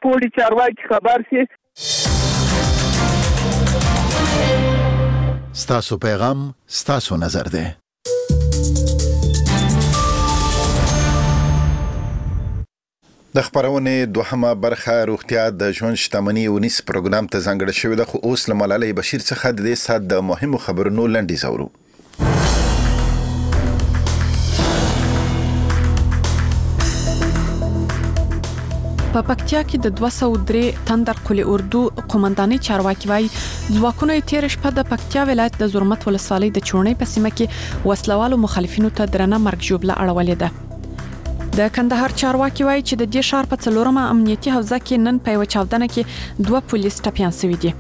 پوړي چارواکي خبر شي. ستاسو پیغام ستاسو نظر دی. د خپرونې دوهمه برخه روغتیا د ژوند شتمني اونیز پروګرام ته ځانګړې شوې ده، خو اوس له ملالۍ بشیر څخه د دې ساعت د مهمو خبرونو لنډیز اورو. په پکتیا کې د 203 تندر قول اردو قومندانۍ چارواکي وايي، ځواکونو یې تېره شپه د پکتیا ولایت د زرمت ولسوالۍ د چوڼۍ په سیمه کې وسلوالو مخالفینو ته درنه مرګ ژوبله اړولې ده. د کندهار چارواکي وايي چې د دې ښار په څلورمه امنیتي حوزه کې نن په یوه چاودنه کې 2 پولیس ټپیان شوي دي.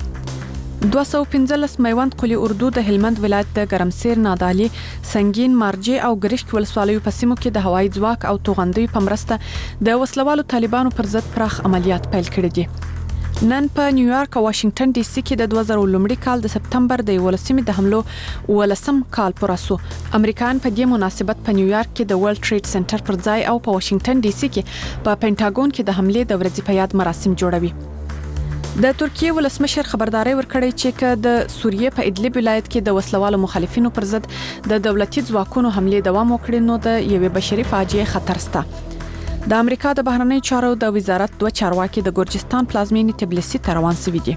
215 میوند قول اردو د هلمند ولایت د ګرمسیر، نادعلي، سنګین، مارجې او ګرشک ولسوالیو په سیمو کې د هوایي ځواک او توغندیو په مرسته د وسلوالو طالبانو پر ضد پراخ عملیات پیل کړي دي. نن په نیویارک او واشنګټن ډي سي کې د 2001 کال د سپتمبر د 11مې د حملو 18 کال پوره شو. امریکایان په دې مناسبت په نیویارک کې د ورلډ ټریډ سنټر پر ځای او په واشنګټن ډي سي کې په پنټاګون کې د حملې د ورځې په یاد مراسم جوړوي. د ترکیې ولسمشر خبرداری ورکړی چې که د سوریې په ادلب ولایت کې د وسلوالو مخالفینو پر ضد د دولتي ځواکونو حملې دوام وکړي نو د یوې بشري فاجعې خطر شته. د امریکا د بهرنیو چارو د وزارت 2 چارواکي د ګرجستان پلازمینې تبلیسي ته روان شوي دي.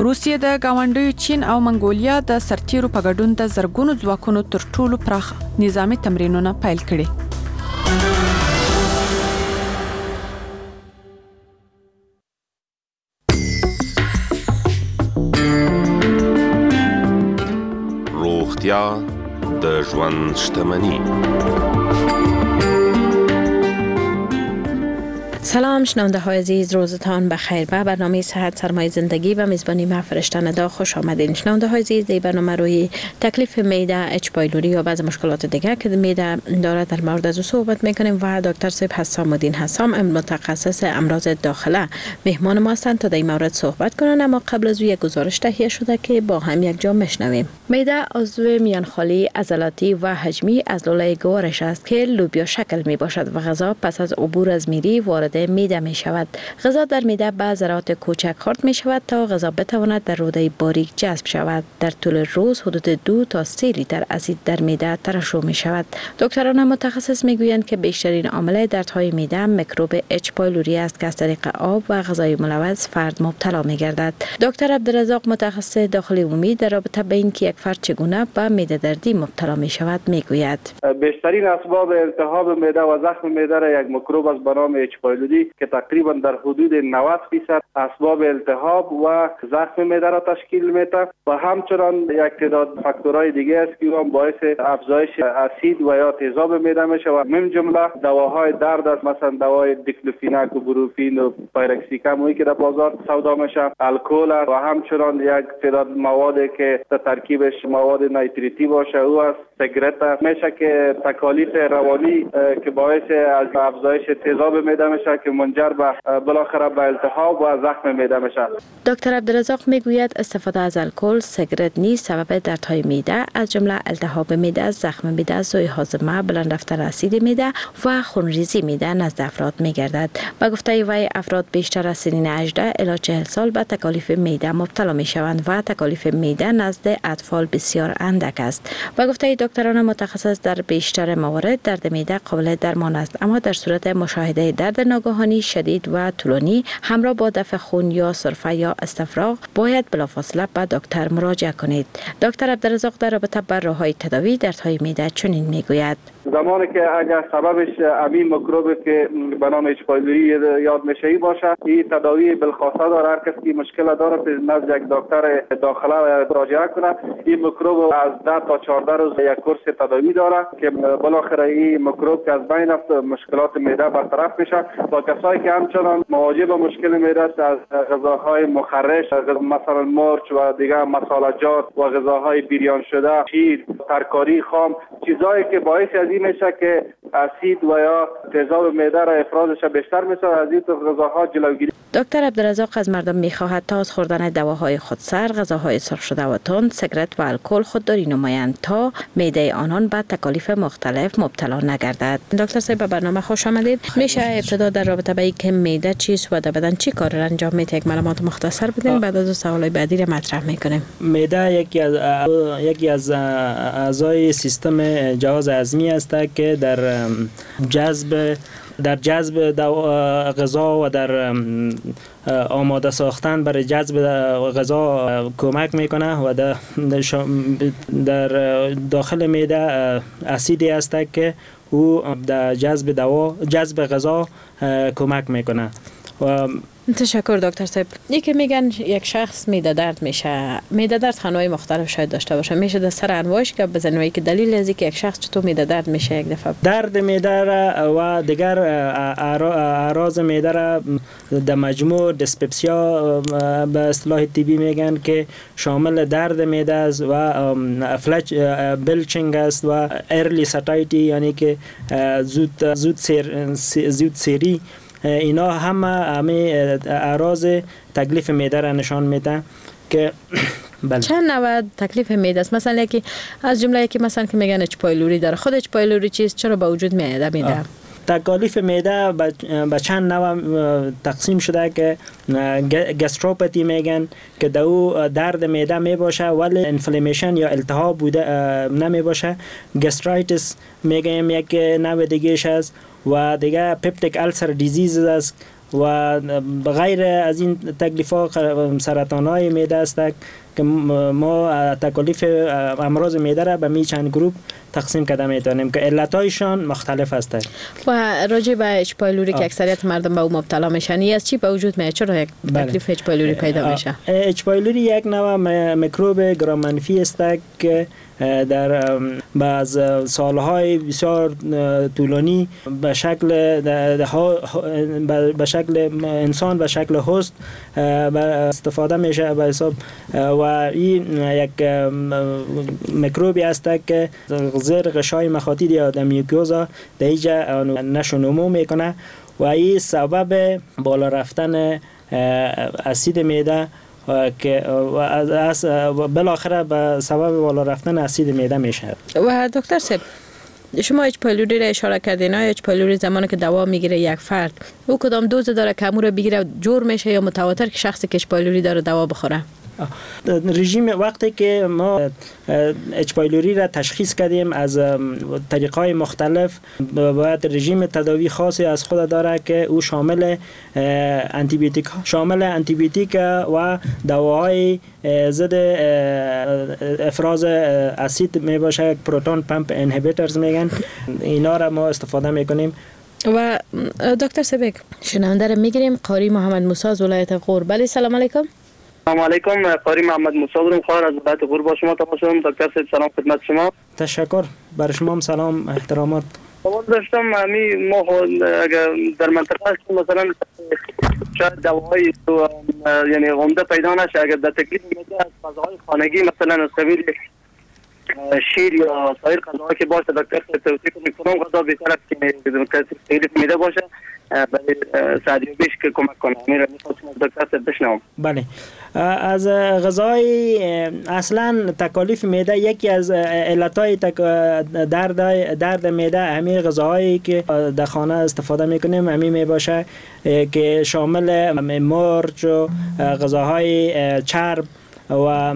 روسیې د ګاونډیو چین او منګولیا د سرتیرو په ګډون د زرګونو ځواکونو تر ټولو پراخ نظامي تمرینونه پیل کړي. روغتیا د ژوند شتمني. سلام شنونده های عزیز، روزتان بخیر. به برنامه صحت سرمایه زندگی و میزبانی ما فرشته ندا خوش آمدین. شنونده های عزیز، در برنامه روی تکلیف معده، اچ پایلوری یا بعض مشکلات دیگر که معده داره در مورد از او صحبت میکنیم و دکتر صاحب حسام الدین حسام، متخصص امراض داخله، مهمان ما هستند تا در این مورد صحبت کنند. اما قبل از او یک گزارش تهیه شده که با هم یک جا میشنویم. معده عضو میانخالی، عضلاتی و حجمی از لوله گوارش است که لوبیا شکل می باشد و غذا پس از عبور از میری وارد معده می شود. غذا در معده به ذرات کوچک خرد می شود تا غذا بتواند در روده باریک جذب شود. در طول روز حدود 2 تا 3 لیتر اسید در معده ترشح می شود. دکتران متخصص می گویند که بیشترین عامل دردهای معده میکروب اچ پایلوری است که از طریق آب و غذای ملوث فرد مبتلا می گردد. دکتر عبدالرزاق، متخصص داخلی عمومی، در رابطه به اینکه یک فرد چگونه به معده دردی مبتلا می شود می گوید: بیشترین اسباب التهاب معده و زخم معده را یک میکروب است به نام اچ پایلوری که تقریبا در حدود 90% اسباب التهاب و زخم معده را تشکیل میده و همچنان یک تعداد فاکتورهای دیگه است که هم باعث افزایش اسید و یا تیزاب معده میشه و من جمله دواهای درد است، مثلا دوای دیکلوفیناک و بروفین و پایرکسیکم که در بازار سودا میشه، الکل و همچنان یک تعداد مواد که در ترکیبش مواد نایتریتی باشه او است، سیگرت میشه که تکالیف روانی که باعث از افزایش تیزاب معده میشه که منجر به بالاخره به التهاب و زخم معده میشه. دکتر عبدالرزاق میگوید استفاده از الکل، سیگرت نیز سبب دردهای معده از جمله التهاب معده، زخم معده، سوء هاضمه، بلند رفتن اسید معده و خونریزی معده نزد افراد میگردد. به گفته وی افراد بیشتر از سنین 18 الی 40 سال به تکالیف معده مبتلا میشوند و تکالیف معده نزد اطفال بسیار اندک است. به گفته دکتران متخصص در بیشتر موارد درد معده قابل درمان است، اما در صورت مشاهده درد ناگهانی شدید و طولانی همراه با دفع خون یا سرفه یا استفراغ باید بلافاصله به دکتر مراجعه کنید. دکتر عبدالرزاق در رابطه با راه‌های تداوی دردهای معده چنین میگوید: زمانی که اگر سببش همین میکروب که به نام اچ پایلوری یاد میشه باشه، این تداوی بالخاصه داره. هر کسی که مشکل داره نزد یک دکتر داخله مراجعه کنه. این میکروب از 10 تا 14 روز یک کورس تداوی داره که بالاخره این میکروب که از بین رفت مشکلات معده برطرف میشه. با کسایی که همچنان مواجه با مشکل معده است، از غذاهای مخرش مثلا مرچ و دیگر مصالحجات و غذاهای بریان شده، شیر، ترکاری خام، چیزایی که باعث از این میشه که اسید و یا تیزاب معده را افرازش بیشتر میسازه، از این غذاها جلوگیری. دکتر عبدالرزاق از مردم میخواهد تا از خوردن دواهای خودسر، غذاهای سرخ شده و تند، سیگرت و الکل خودداری نمایند تا معده آنان به تکالیف مختلف مبتلا نگردد. دکتر صاحب به برنامه خوش آمدید. میشه ابتدا در رابطه به اینکه معده چیست و در بدن چی کار را انجام میده یک معلومات مختصر بدین، بعد از سوالای بعدی را مطرح میکنیم. معده یکی از اعضای سیستم جهاز هضمی است که در جذب غذا و در آماده ساختن برای جذب غذا کمک میکنه و در داخل معده اسیدی است که او در جذب غذا کمک میکنه. و تشکر دکتر صاحب. یکی میگن یک شخص معده درد میشه، معده درد انواع مختلف شاید داشته باشه، میشه در سر انواعش که بزنیم که دلیل از اینکه یک شخص چطور معده درد میشه یک دفعه درد معده و دیگر اعراض معده را در مجموع dyspepsia به اصطلاح طبی میگن که شامل درد معده است و افلچ belching است و early satiety، یعنی که زود سیری، اینا همه اعراض تکلیف معده را نشان میده که بله. چند نوع تکلیف معده است؟ مثلا یکی از جمله یکی مثلا که میگن H. pylori داره، خود H. pylori چیست، چرا به وجود میاد معده؟ تکالیف معده به چند نوع تقسیم شده که gastropathy میگن که در او درد معده میباشه ولی inflammation یا التهاب بوده نمیباشه. gastritis میگیم یک نوع دیگهش است و دیگه peptic ulcer disease است و غیر از این تکلیف ها سرطان های معده است که ما تکالیف امراض معده را به می چند گروپ تقسیم کرده میتونیم که علتایشان مختلف هستند. و راجع به H. pylori که اکثریت مردم به او مبتلا میشن، از چی به وجود میاد؟ چرا یک تکلیف H. pylori پیدا میشه؟ H. pylori یک نوع میکروب گرام منفی است که در بعض سالهای بسیار طولانی به شکل انسان به شکل host استفاده میشه به حساب و این یک میکروبی است که زیر غشای مخاطی یا در mucosa در اینجا نشو میکنه و این سبب بالا رفتن اسید معده که بالاخره به سبب بالا رفتن اسید معده میشه. و دکتر صاحب شما H. pylori را اشاره کردین، آیا H. pylori زمانی که دوا میگیره یک فرد او کدام دوز داره که امو رو بگیره جور میشه یا متواتر که شخصی که H. pylori داره دوا بخوره؟ رژیم وقتی که ما H. pylori را تشخیص کردیم از طریق‌های مختلف، باید رژیم تداوی خاصی از خود داره که او شامل انتیبیوتیک و دواهای ضد افراز اسید می باشه، proton pump inhibitors میگن، اینا را ما استفاده میکنیم. و دکتر سبک شنونده را میگیریم، قاری محمد موسی از ولایت غور. بله سلام علیکم. سلام علیکم، قاری محمد موسی بودم، خواهر از ولایت غور با شما تماس دارم. دکتر صاحب سلام خدمت شما. تشکر، بر شما هم سلام احترامات. سوال داشتم همی ما اگر در منطقه هستیم مثلا شاید دواهای یعنی عمده پیدا نشه، اگر در تکلیف میده از غذاهای خانگی مثلا از قبیل شیر یا سایر غذاهایی که باشه دکتر صاحب توصیه کنید کدام غذا بهتر است که تکلیف میده باشه برای سعدیابیش که کمک کنه؟ میرم میخواستم از دکتر صاحب بشنوم. بله، از غذای اصلا تکالیف معده یکی از علتهای درد معده همین غذاهایی که در خانه استفاده میکنیم همین میباشه که شامل مرچ و غذاهای چرب و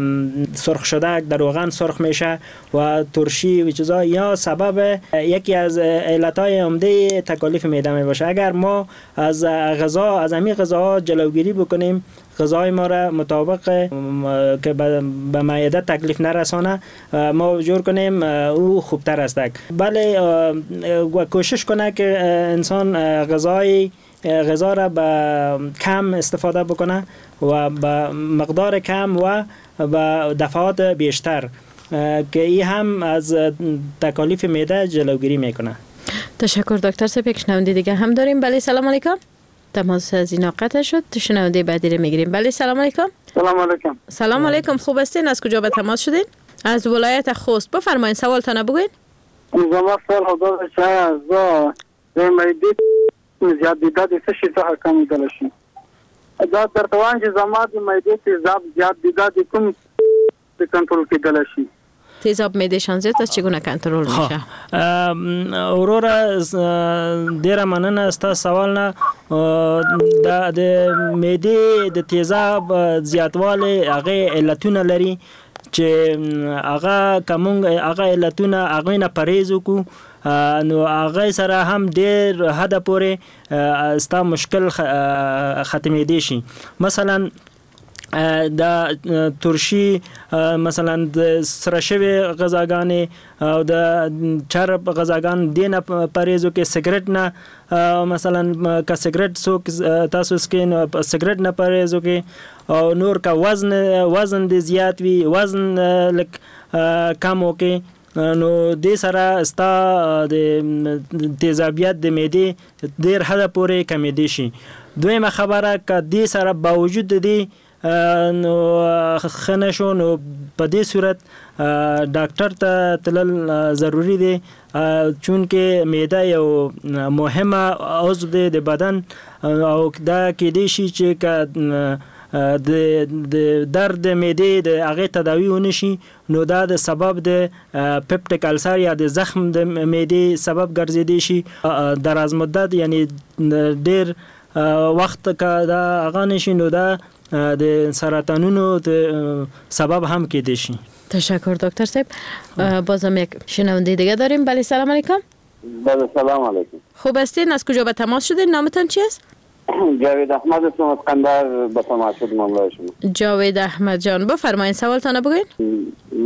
سرخ شده در روغن سرخ میشه و ترشی و چیزا، یا سبب یکی از علتهای عمده تکالیف معده میباشه. اگر ما از غذا از همین غذاها جلوگیری بکنیم، غذای ما را مطابق که به معده تکلیف نرسانه ما جور کنیم او خوبتر است. بله، و کوشش کنه که انسان غذا را به کم استفاده بکنه و به مقدار کم و به دفعات بیشتر، که این هم از تکالیف معده جلوگیری میکنه. تشکر دکتر صاحب. یک شنونده دیگه هم داریم. بله سلام علیکم. تماس از اینا قطع شد. شنونده بعدی رو میگیریم. بله سلام علیکم. سلام علیکم. سلام علیکم، خوب هستین؟ از کجا به تماس شدین؟ از ولایت خوست. بفرمایید سوالتان بگوین. زما سوال خو دا دی چې ایا زه د معدې زیات دی دا د څه شي څخه کمېدلی شي؟ دا درته وایم چې زما د معدې تیزاب زیات دی، دا د کوم کنترل کېدلی شي؟ تیزاب معدهشان زیات است، چگونه کنترل میشه؟ وروره ډیره مننه ستا سوال نه. د معدې د تیزاب زیاتوالی هغې علتونه لري چې هغه که مونږ هغه علتونه هغوی نه پرهیز وکړو نو هغې سره هم ډېر حده پورې ستا مشکل ختمېدی شي. مثلا د ترشي، مثلا د سره شوې غذاګانې او د چرب غذاګان دې نه پرهیز وکړي، سګرټ نه، مثلا که سګرټ څوک تاسو څکئ نو سګرټ نه پرهیز وکړي، او نور که وزن دې زیات وي وزن لږ کم وکړي، نو دې سره ستا د تیزابیت د معدې ډېر حده پورې کمېدی شي. دویمه خبره که دې سره باوجود د دې نو ښه نه شو نو په دې صورت ډاکټر ته تلل ضروري دی، چونکه معده یو مهمه عضو دی د بدن، او دا کېدای شي چې که د درد معدې د هغې تداوي ونه شي نو دا د سبب د peptic ulcer یا د زخم د معدې سبب ګرځېدی شي. دراز مدت یعنی ډېر وخت که دا هغه نه شي نو دا د سرطانونو د سبب هم کېدی شي. تشکر دکتر صاحب. بازم یک شنونده دیگه داریم. بله سلام علیکم. بله سلام علیکم. خوب هستین؟ از کجا به تماس شدین؟ نامتان چی است؟ جاوید احمد هستم از قندهار به تماس شدم همراه شما. جاوید احمد جان بفرمایید سوالتان بگوین.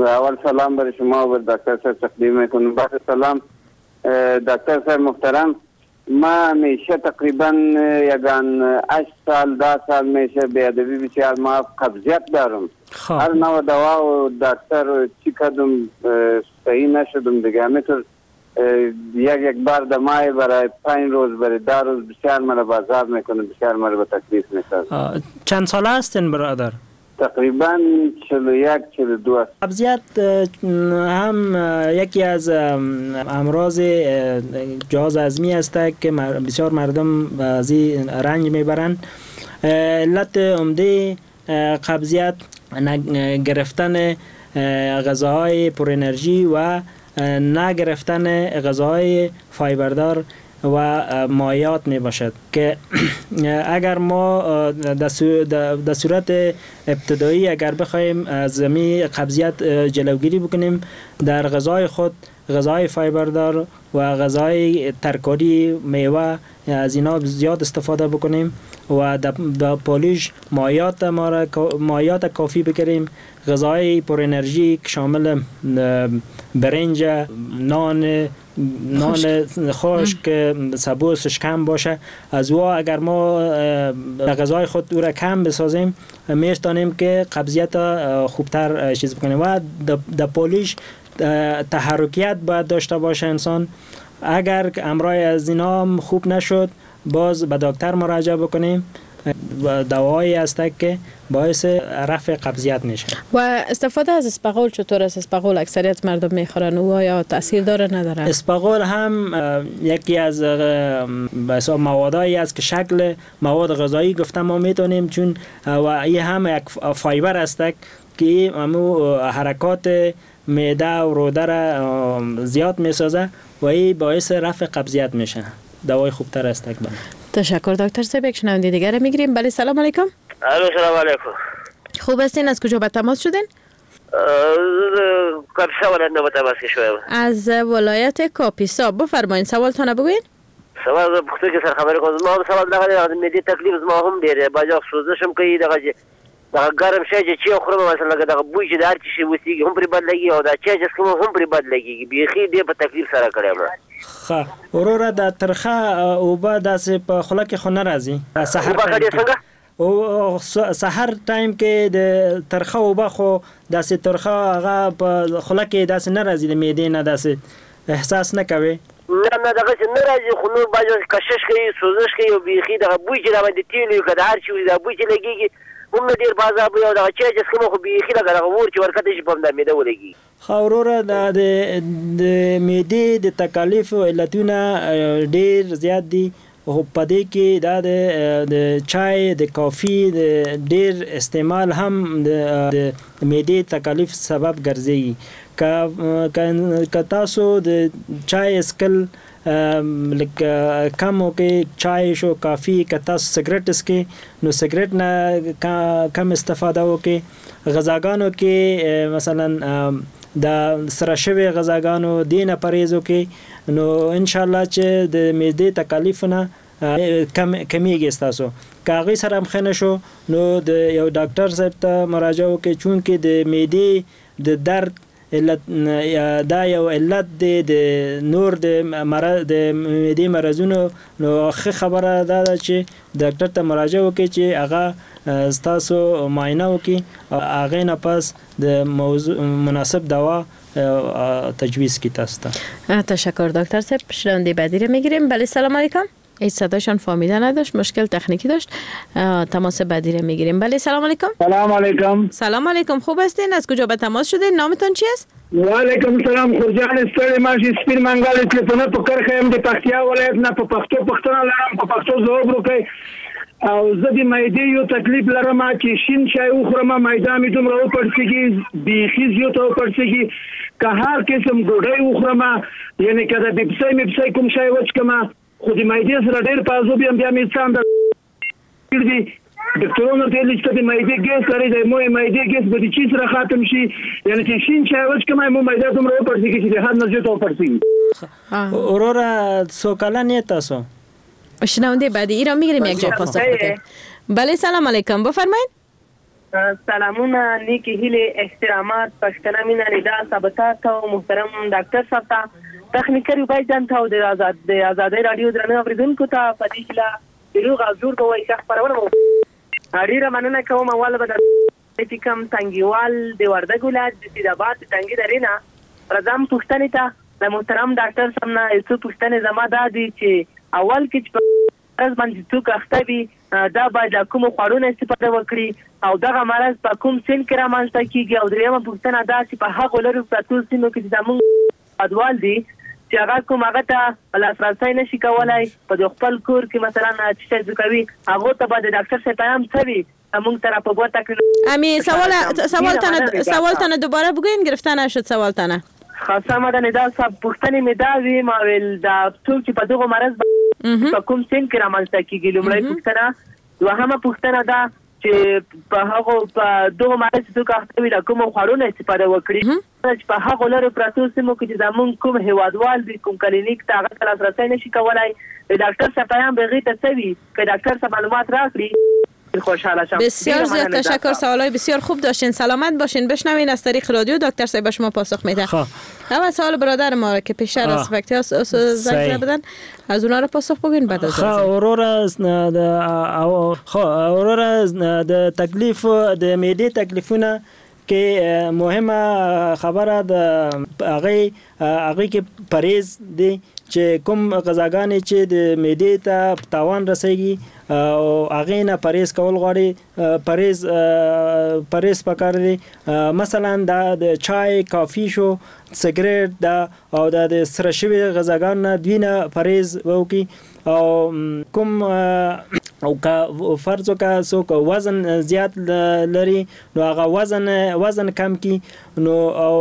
اول سلام برای شما و دکتر صاحب تقدیم میکنم. بعد سلام دکتر صاحب محترم، ما همیشه تقریبا یگان 8 سال 10 سال میشه بیادبی بسیار ما قبضیت دارم. هر نوع دوا و دکتر چی کدم صحیح نشدم دیگه. همینطور یک بار دمای برای 5 روز برای 10 روز بسیار مرا بازار میکنه، بسیار مرا به تکلیف میسازه. چند ساله هستین برادر؟ تقریبا 41 42 است. قبضیت هم یکی از امراض جهاز هضمی است که بسیار مردم از این رنج میبرند. علت عمده قبضیت گرفتن غذاهای پر انرژی و نگرفتن غذاهای فایبردار و مایعات می باشد که اگر ما در صورت ابتدایی اگر بخوایم از می قبضیت جلوگیری بکنیم در غذای خود غذای فایبردار و غذای ترکاری میوه از اینا زیاد استفاده بکنیم و در پالیش مایعات ما مایعات کافی بگیریم، غذای پر انرژی که شامل برنج، نان خشک، سبوسش کم باشه، از او اگر ما در غذای خود او را کم بسازیم میتونیم که قبضیت خوبتر چیز بکنیم. و در پالیش تحرکیت باید داشته باشه انسان. اگر امرای از اینا خوب نشد باز به دکتر مراجعه بکنیم و دوایی هست که باعث رفع قبضیت میشه. و استفاده از اسپغول چطور است؟ اسپغول اکثریت مردم میخورن، او آیا تاثیر داره نداره؟ اسپغول هم یکی از به حساب موادایی است که شکل مواد غذایی گفتم ما میتونیم، چون و این هم یک فایبر است که همو حرکات معده و روده را زیاد میسازه و این باعث رفع قبضیت میشه. دوای خوبتر است. تشکر دکتر صاحب. یک شنونده دیگر میگیریم. بله سلام علیکم. الو سلام علیکم. خوب هستین؟ از کجا به تماس شدین؟ کاپیسا ولایت نه به تماس شوم. از ولایت کاپیسا. بفرمایید سوالتان بگوین. سوال پوښتنه کې سره خبرې کوم. زما سوال دغه دی، د معدې تکلیف زما هم ډېر دی، بعضې وخت سوزش هم کوي، دغه چې دغه ګرم شی چې چای خورم مثلا لکه دغه بوی چې د هر څه شي وسیږي هم پرې بد لګي، او دا چای چې څښم هم پرې بد لګېږي، بیخي ډېر په تکلیف سره کړی یم. ښه وروره، دا ترخه اوبه داسې په خوله کې خو نه راځي؟ سحر ټایم او سحر ټایم کې د ترخه اوبه خو داسې ترخه هغه په خوله کې داسې نه راځي، د معدې نه داسې احساس نه کوي؟ نه نه دغسې نه راځي، خو نور بعضې وخت کشش کوي، سوزش کوي، او بیخي دغه بوی چې راباندې تېل وي که د هر شي وي دا بوی چې لګېږي هم مې ډېر په عذاب وي او دغه چای چې څښم خو بیخي لکه دغه اور چې ورکته شي په همدا معده ولګېږي. ښه وروره دا د معدې د تکالیفو علتونه ډېر زیات دي خو په دې کې دا د چای د کافي د ډېر استعمال هم د معدې تکالیف سبب ګرځېږي که تاسو د چای څښل لږ کم وکړئ چای شو کافي که تاسو سګرټ څکئ نو سګرټ نه کم استفاده وکړئ غذاګانو کې مثلا د سره شوی غذاګانو دې نه پرهیز وکړئ نو ان شاء الله چې د معدې تکالیفونه کمیږي ستاسو که هغوی سره هم ښه نه شو نو د یو ډاکټر صاحب ته مراجعه وکړئ چونکه د معدې د درد علت دا یو علت دی د نور د مرض د معدې مرضونو نو ښه خبره دا ده چې ډاکټر ته مراجعه وکړئ چې هغه ستاسو معاینه وکړي او هغې نه پس د موضوع مناسب دوا تجویز کړي تاسو ته. تشکر دکتر صاحب. شنونده بعدی رو میگیریم. بله سلام علیکم. هیچ صدایشان فهمیده نداشت، مشکل تکنیکی داشت. تماس بعدی رو میگیریم. بله سلام علیکم. سلام علیکم. سلام علیکم، خوب هستین؟ از کجا به تماس شدین؟ نامتان چی است؟ و علیکم سلام خورجان ستړی ماشي سپین منګل تلیفونه په کرښه یم د پکتیا ولایت نه په پښتو پوښتنه لرم په پښتو ځواب وکړئ. او زه د معدې یو تکلیف لرم چې شین چای وخورم معده مې دومره وپړسېږي بیخي زیاته وپړسېږي که هر قسم ډوډۍ وخورم یعنې که د بپسۍ مپسۍ کوم شی وڅکم خو د معدې سره ډېر په عذاب یم بیا مې څه اندازه دي ډاکټرانو ورته ویلي چې ته د معدې ګیس لرې د مو معدې ګیس به د چی سره ختم شي یعنې چې شین چای وڅکم مو معده دومره وپړسېږي چې د حد نه زیاته وپړسېږي. وروره څو کلن یې تاسو؟ شنونده بعدی ایران میگیریم یک جای پاسخ بده. بله سلام علیکم، بفرمایید. سلامونه، نیکی هیلې، احترامات، پښتنه مینه، ندا صاحب ته او محترم ډاکټر صاحب ته، تخنیکر عبید جان ته او د ازادۍ راډیو درنو اورېدونکو ته په دې هیله چې روغ او جوړ به وئ. ښه خپرونه مو ډېره مننه کوم. اول به د کوم تنګیوال د وردګ ولایت د سیدآباد د تنګي درې نه راځم پوښتنې ته. د محترم ډاکټر صاحب نه یو څو پوښتنې زما دا دي چې اول کې چې په مرض باندې څوک اخته وي دا باید له کومو خوړو نه استفاده وکړي او دغه مرض په کوم سن کې رامنځته کېږي؟ او درېیمه پوښتنه دا چې په هغو لرو پرتو سیمو کې چې زموږ هېوادوال دي چې هغه کوم هغه ته لاسرسی نه شي کولی په خپل کور کې مثلا چې شی کوي هغو ته به د ډاکټر صاحب پیام څه وي مونږ ته را په ګوته کړي؟ امی سوالتان دوباره بگوین، گرفته نشد سوالتانه. ښه سمه ده ندا صاحب، پوښتنې مې دا وي ما ویل دا څوک چې په دغو مرض په کوم سن کې رامنځته کېږي لومړۍ پوښتنه. دوهمه پوښتنه دا چې په هغو په دغو مرض چې څوک اخته وي له کومو خوړو نه استفاده وکړي چې په هغو لرو پرتو سیمو کې چې زموږ کوم هېوادوال دي کوم کلینیک ته هغه ته لاسرسی نه شي کولی د ډاکټر صاحب پیام به هغې ته څه وي که ډاکټر صاحب معلومات راکړي خوشحال شم. بسیار زیاد تشکر، سوالای بسیار خوب داشتین، سلامت باشین. بشنوین از طریق رادیو دکتر صاحب شما پاسخ میده. اول سوال برادر ما که پیشتر از پکتیا زنگ زدن از اونها رو پاسخ بگین بعد از وروره وروره د تکلیف د معدې تکلیفونه کې مهمه خبره د هغې کې پرهیز دی چې کوم غذاګانې چې د معدې ته تاوان رسیږي او هغې نه پرهیز کول غواړي، پرهیز پکار دی. مثلا دا د چای، کافي شو، سګرټ دا او دا د سره شوي غذاګانو نه دوی نه پرهیز وکړي. او کوم او که فرض وکړه څوک وزن زیات لري نو هغه وزن کم کړي نو او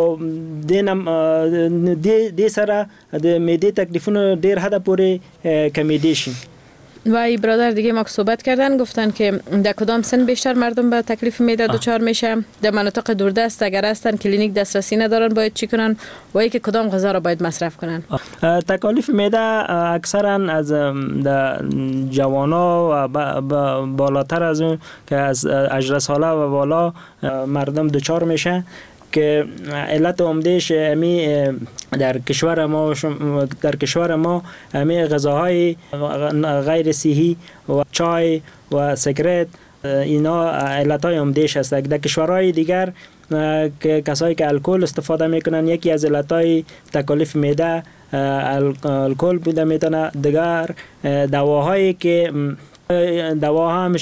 دې سره د معدې تکلیفونه ډېر حده پورې کمېدی شي. و ای برادر دیگه ما که صحبت کردن گفتن که در کدام سن بیشتر مردم به تکلیف معده دچار میشه، در مناطق دوردست اگر هستن کلینیک دسترسی ندارن باید چی کنن و ای که کدام غذا را باید مصرف کنن؟ تکالیف معده اکثرا از جوانا و بالاتر از اون که از 18 ساله و بالا مردم دچار میشه که علت عمدهش امی در کشور ما امی غذاهای غیر صحی و چای و سیگرت اینا علتهای عمدهش هست. در کشورهای دیگر که کسایی که الکل استفاده میکنن یکی از علتهای تکالیف معده الکل بوده میتونه. دیگر دواهایی که دوا هم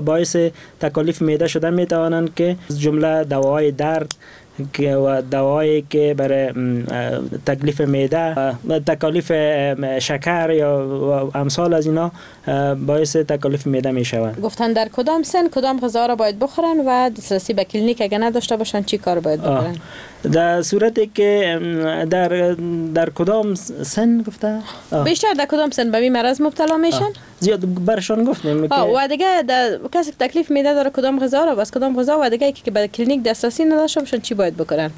باعث تکالیف معده شده میتوانند که از جمله دواهای درد و دوایی که برای تکلیف معده، تکالیف شکر یا امثال از اینا باعث تکالیف معده می شوند. گفتن در کدام سن کدام غذا را باید بخورن و دسترسی به کلینیک اگه نداشته باشن چی کار باید بکنن؟ در صورتی که در کدام سن گفته؟ بیشتر در کدام سن به این مرض مبتلا میشن؟ زیاد برشان گفتیم که و دیگه کسی که تکلیف معده داره کدام غذا را بس کدام غذا و دیگه که به کلینیک دسترسی نداشته باشن چی باید بکنن؟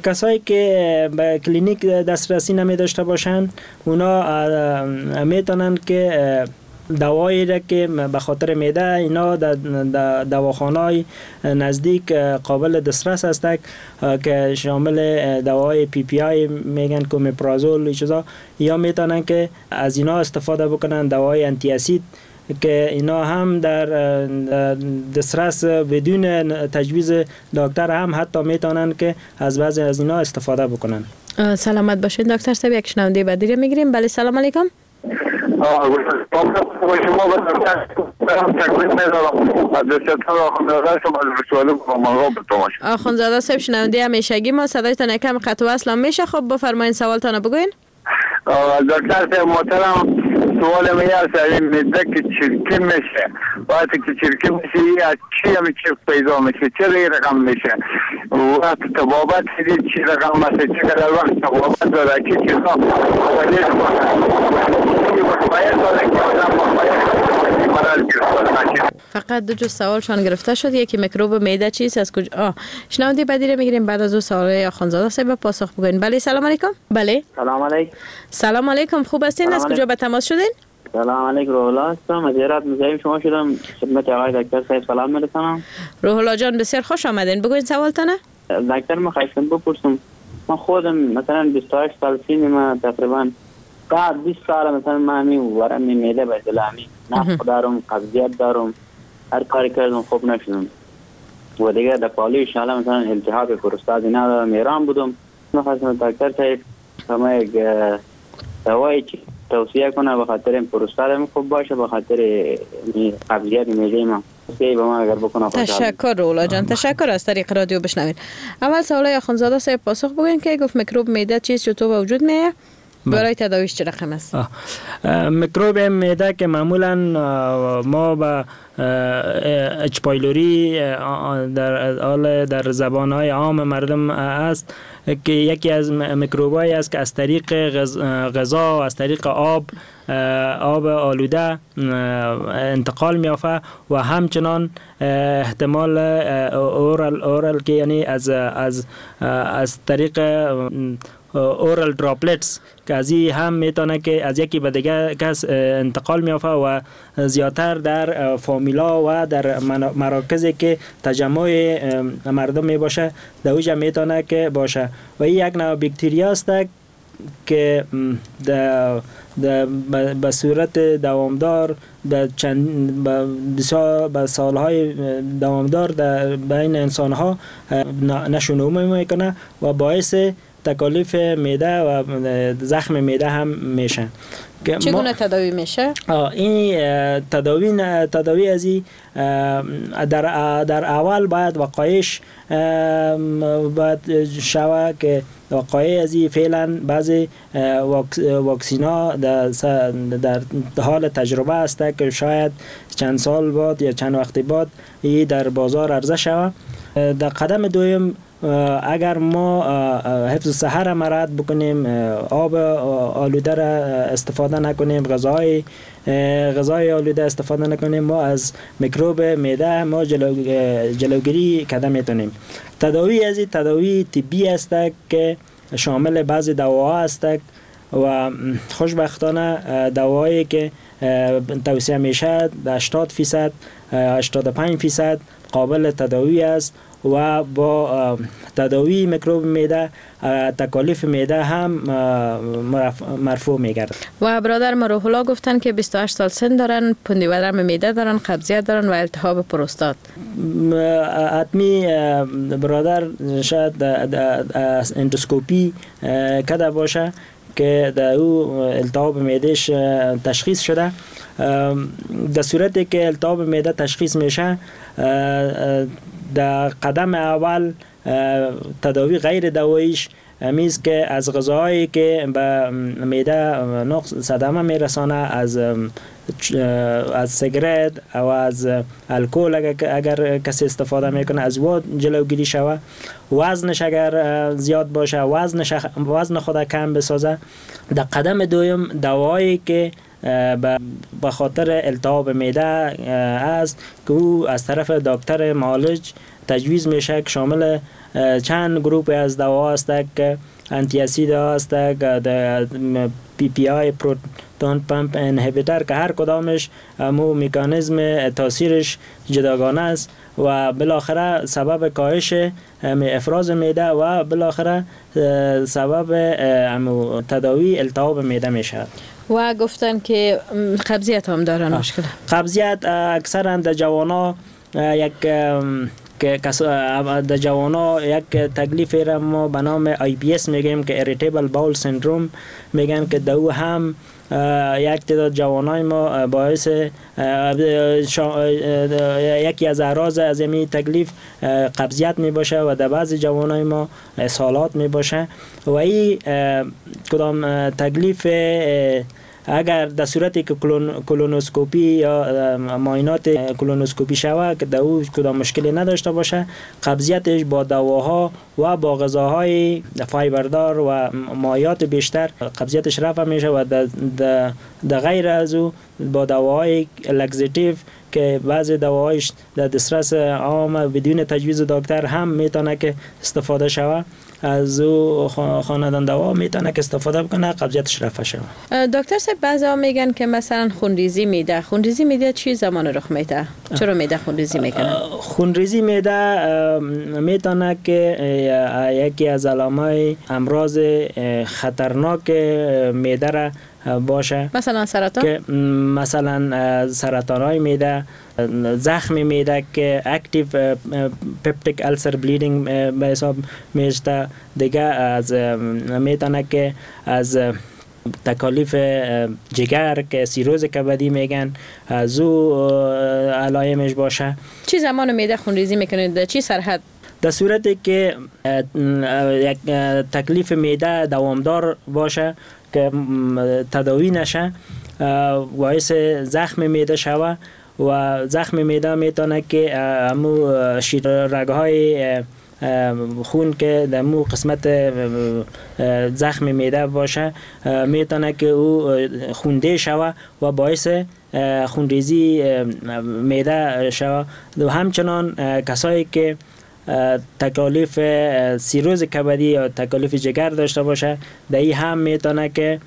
کسایی که به کلینیک دسترسی نمی داشته باشن اونا میتونن که دوایی را که به خاطر معده اینا در دواخانه‌های نزدیک قابل دسترس است که شامل دوای PPI میگن که اومپرازول چیزا، یا میتونن که از اینا استفاده بکنن، دوای anti acid که اینا هم در دسترس بدون تجویز دکتر هم حتی میتونن که از بعضی از اینا استفاده بکنن. سلامت باشین دکتر صاحب. یک شنونده بعدی رو میگیریم. بله سلام علیکم. آخوندزاده صاحب شنونده همیشگی ما، صدایتان یکم قطع و وصل میشه. خب بفرمایین سوالتان بگوین. دکتر صاحب محترم، سوال من است این معده که چرکی میشه، وقتی که چرکی میشه از چی هم چرک پیدا میشه، چرا این رقم میشه؟ وقت طبابت چی رقم است، چقدر وقت طبابت داره، چه چیزا فقط دو جز سوالشان گرفته شد، یکی میکروب معده چیست از کجا. شنونده بعدی رو میگیریم بعد از او سوال آخوندزاده صاحب پاسخ بگوین. بله سلام علیکم. بله سلام علیکم. سلام علیکم، خوب هستین؟ از کجا به تماس شدین؟ سلام علیکم، روح الله هستم از هرات. مزاحم شما شدم، خدمت آقای دکتر صاحب سلام میرسانم. روح الله جان بسیار خوش آمدین، بگوین سوالتانه. دکتر من خواستم بپرسم، من خودم مثلا 28 سال سن ما، تقریبا بعد 20 سال مثلا من همین ورم معده به دلامی نفخ دارم، قبضیت دارم، هر کاری کردم خوب نشدم و دیگه در پالوی شاله مثلا التهاب پروستات اینا دارم، ایران بودم. من خواستم دکتر صاحب ما یک دوایی توصیه کنه به خاطر این پروستات خوب باشه، به خاطر قبضیت معده ما. تشکر رولا جان، تشکر. از طریق رادیو بشنوید. اول سوال آخوندزاده صاحب پاسخ بگوین که گفت میکروب معده چیست، چطور به وجود میاد، برای تداویش چه رقم است؟ میکروب معده که معمولا ما به H. pylori در حال در زبان‌های عام مردم است که یکی از میکروبایی است که از طریق غذا و از طریق آب آلوده انتقال می‌یافت و همچنان احتمال oral که یعنی از از از طریق oral droplets که از این هم میتونه که از یکی به دیگه کس انتقال میافه و زیادتر در فامیلا و در مراکزی که تجمع مردم می باشه در اوجه میتونه که باشه و این یک نوع باکتریا است که به صورت دوامدار در چند به سالهای دوامدار در بین انسانها نشونما میکنه و باعث تکالیف معده و زخم معده هم میشه. چگونه تداوی میشه؟ این تداوی از این در اول باید وقایش باید شوه که وقایع از این فعلا بعضی واکسینا در حال تجربه است که شاید چند سال بعد یا چند وقت بعد این در بازار عرضه شوه. در قدم دوم اگر ما حفظ صحه را مراعات بکنیم، آب آلوده را استفاده نکنیم، غذای آلوده استفاده نکنیم، ما از میکروب معده ما جلوگیری کرده میتونیم. تداوی از این تداوی طبی است که شامل بعضی دواها است و خوشبختانه دوایی که توصیه میشه 80% 85% قابل تداوی است و با تداوی میکروب معده تکالیف معده هم مرفوع میگردد. و برادر ما روح الله گفتن که 28 سال سن دارن، پندی ورم معده دارن، قبضیت دارن و التهاب پروستات. حتمی برادر شاید اندوسکوپی کده باشه که در او التهاب معدهش تشخیص شده. در صورتی که التهاب معده تشخیص میشه، در قدم اول تداوی غیر دواییش میز که از غذاهایی که به معده نقص صدمه میرسانه، از سیگرت او از الکل اگر کسی استفاده میکنه از او جلوگیری شوه، وزنش اگر زیاد باشه وزن خود کم بسازه. در قدم دوم دوایی که به خاطر التهاب معده است که او از طرف دکتر معالج تجویز میشه که شامل چند گروپ از دوا است که anti acid است، PPI proton pump inhibitor، که هر کدامش مو مکانیزم تاثیرش جداگانه است و بالاخره سبب کاهش افراز معده و بالاخره سبب تداوی التهاب معده میشه. و گفتن که قبضیت هم دارن مشکل. قبضیت اکثرا در جوانا یک که در جوانا یک تکلیف را ما به نام IBS میگیم که irritable bowel syndrome میگن، که دو هم یک تعداد جوانای ما باعث یکی از اعراض از این تکلیف قبضیت می باشه و در بعضی جوانای ما اسهالات می باشه و این کدام تکلیف اگر در صورتی که کولونوسکوپی یا معاینات کولونوسکوپی شود که در او کدام مشکلی نداشته باشه، قبضیتش با دواها و با غذاهای فایبردار و مایعات بیشتر قبضیتش رفع میشه و در غیر از او با دواهای laxative که بعضی دواهایش در دسترس عام بدون تجویز دکتر هم میتونه که استفاده شود، از او خاندان دوا میتونه که استفاده بکنه قبضیتش رفع شود. دکتر صاحب بعضی میگن که مثلا خونریزی میده، خونریزی میده چی زمان رخ میده؟ چرا میده خونریزی میکنه؟ خونریزی میده میتونه که یکی از علامای امراض خطرناک معده را باشه، مثلا سرطان، که مثلا سرطان های معده، زخم معده که active peptic ulcer bleeding به حساب میشه، دیگه از میتونه که از تکالیف جگر که سیروز کبدی میگن از او علایمش باشه. چی زمان معده خونریزی میکنه؟ در چی سرحد؟ در صورتی که یک تکلیف معده دوامدار باشه که تداوی نشه، باعث زخم معده شوه و زخم معده میتونه که امو رگ‌های خون که در مو قسمت زخم معده باشه میتونه که او خونده شوه و باعث خونریزی معده شوه. و همچنان کسایی که تکالیف سیروز کبدی یا تکالیف جگر داشته باشه، در این هم میتونه که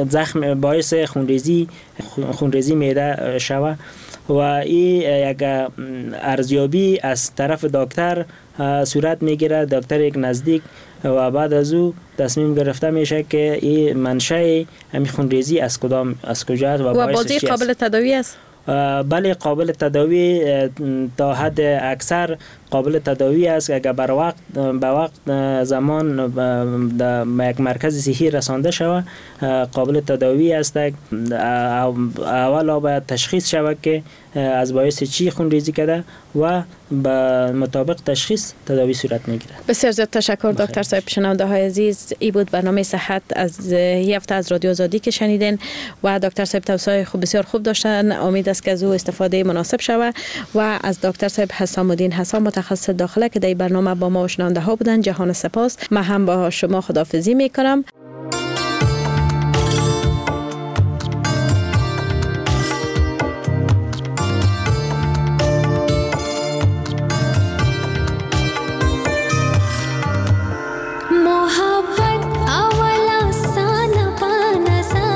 زخم باعث خونریزی معده شوه و این یک ارزیابی از طرف دکتر صورت میگیره، دکتر یک نزدیک، و بعد از او تصمیم گرفته میشه که این منشأ همین خونریزی از کدام از کجا است و باعث چی است. قابل تداوی است؟ بله، قابل تداوی تا حد اکثر قابل تداوی است. اگر بر وقت به وقت زمان در یک مرکز صحی رسانده شود قابل تداوی است. اول باید تشخیص شود که از باعث چی خونریزی کرده و به مطابق تشخیص تداوی صورت میگیره. بسیار زیاد تشکر دکتر صاحب. شنونده های عزیز، ای بود برنامه صحت از هفته از رادیو آزادی که شنیدین و دکتر صاحب توصیه خوب بسیار خوب داشتن. امید است که از او استفاده مناسب شود و از دکتر صاحب حسام الدین حسام متخصص داخله که در برنامه با ما و شنونده ها بودن جهان سپاس. من هم با شما خداحافظی میکنم. محبت اولا سانا پا نظر.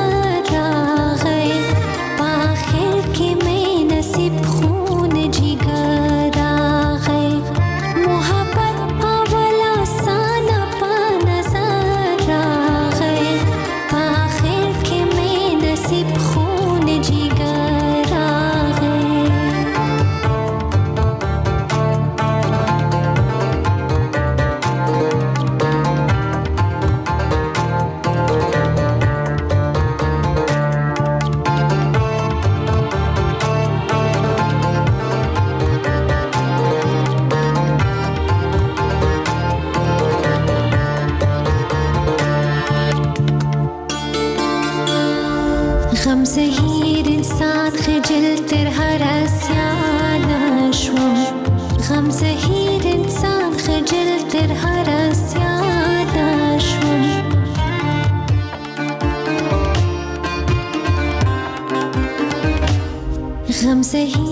सही।